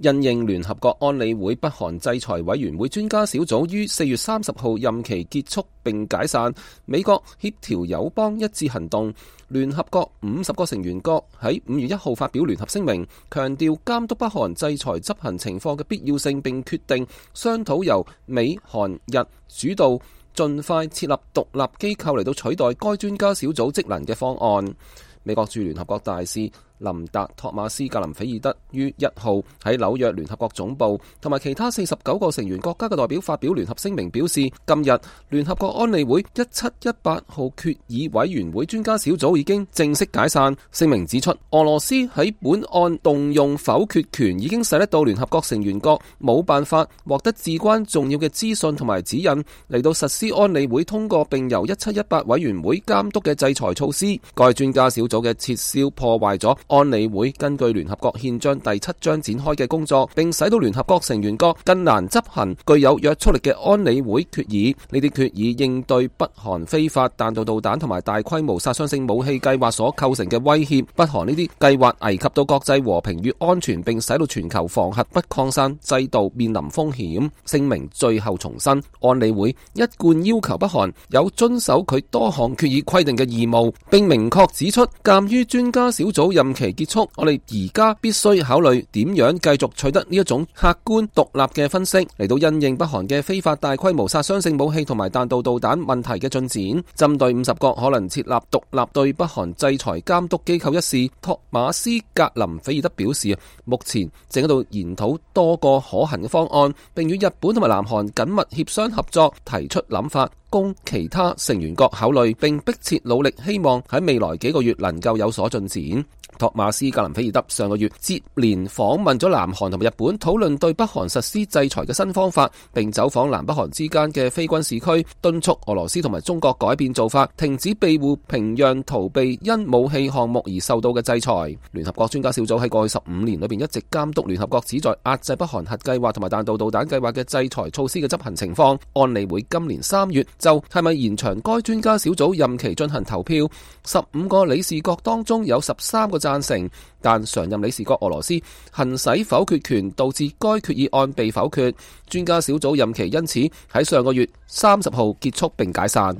因應聯合國安理會北韓制裁委員會專家小組於4月30號任期結束並解散，美國協調友邦一致行動，聯合國50個成員國喺5月1號發表聯合聲明，強調監督北韓制裁執行情況嘅必要性，並決定商討由美、韓、日主導，盡快設立獨立機構嚟到取代該專家小組職能嘅方案。美國駐聯合國大使林達托馬斯格林菲爾德於1號喺紐約聯合國總部同埋其他49個成員國家嘅代表發表聯合聲明，表示今日聯合國安理會1718號決議委員會專家小組已經正式解散。聲明指出，俄羅斯喺本案動用否決權，已經使得到聯合國成員國冇辦法獲得至關重要嘅資訊同埋指引嚟到實施安理會通過並由1718委員會監督嘅制裁措施。該專家小組嘅撤銷破壞咗安理會根據聯合國憲章第7章展開嘅工作，並使到聯合國成員國更難執行具有約束力嘅安理會決議。呢啲決議應對北韓非法彈道導彈同埋大規模殺傷性武器計劃所構成嘅威脅。北韓呢啲計劃危及到國際和平與安全，並使到全球防核不擴散制度面臨風險。聲明最後重申，安理會一貫要求北韓有遵守佢多項決議規定嘅義務，並明確指出，鑒於專家小組任期結束，我哋而家必須考慮點樣繼續取得呢一種客觀獨立嘅分析，嚟到因應北韓嘅非法大規模殺傷性武器同埋彈道導彈問題嘅進展。針對50國可能設立獨立對北韓制裁監督機構一事，托馬斯格林菲爾德表示，目前正喺度研討多個可行嘅方案，並與日本同埋南韓緊密協商合作，提出諗法供其他成員國考慮，並迫切努力，希望喺未來幾個月能夠有所進展。托馬斯格林菲爾德上個月接連訪問咗南韓同埋日本，討論對北韓實施制裁嘅新方法，並走訪南北韓之間嘅非軍事區，敦促俄羅斯同埋中國改變做法，停止庇護平壤，逃避因武器項目而受到嘅制裁。聯合國專家小組喺過去15年裏邊一直監督聯合國旨在壓制北韓核計劃同埋彈道導彈計劃嘅制裁措施嘅執行情況。安理會今年3月就係咪延長該專家小組任期進行投票，15個理事國當中有13個贊成，但常任理事國俄羅斯行使否決權，導致該決議案被否決。專家小組任期因此喺上個月30號結束並解散。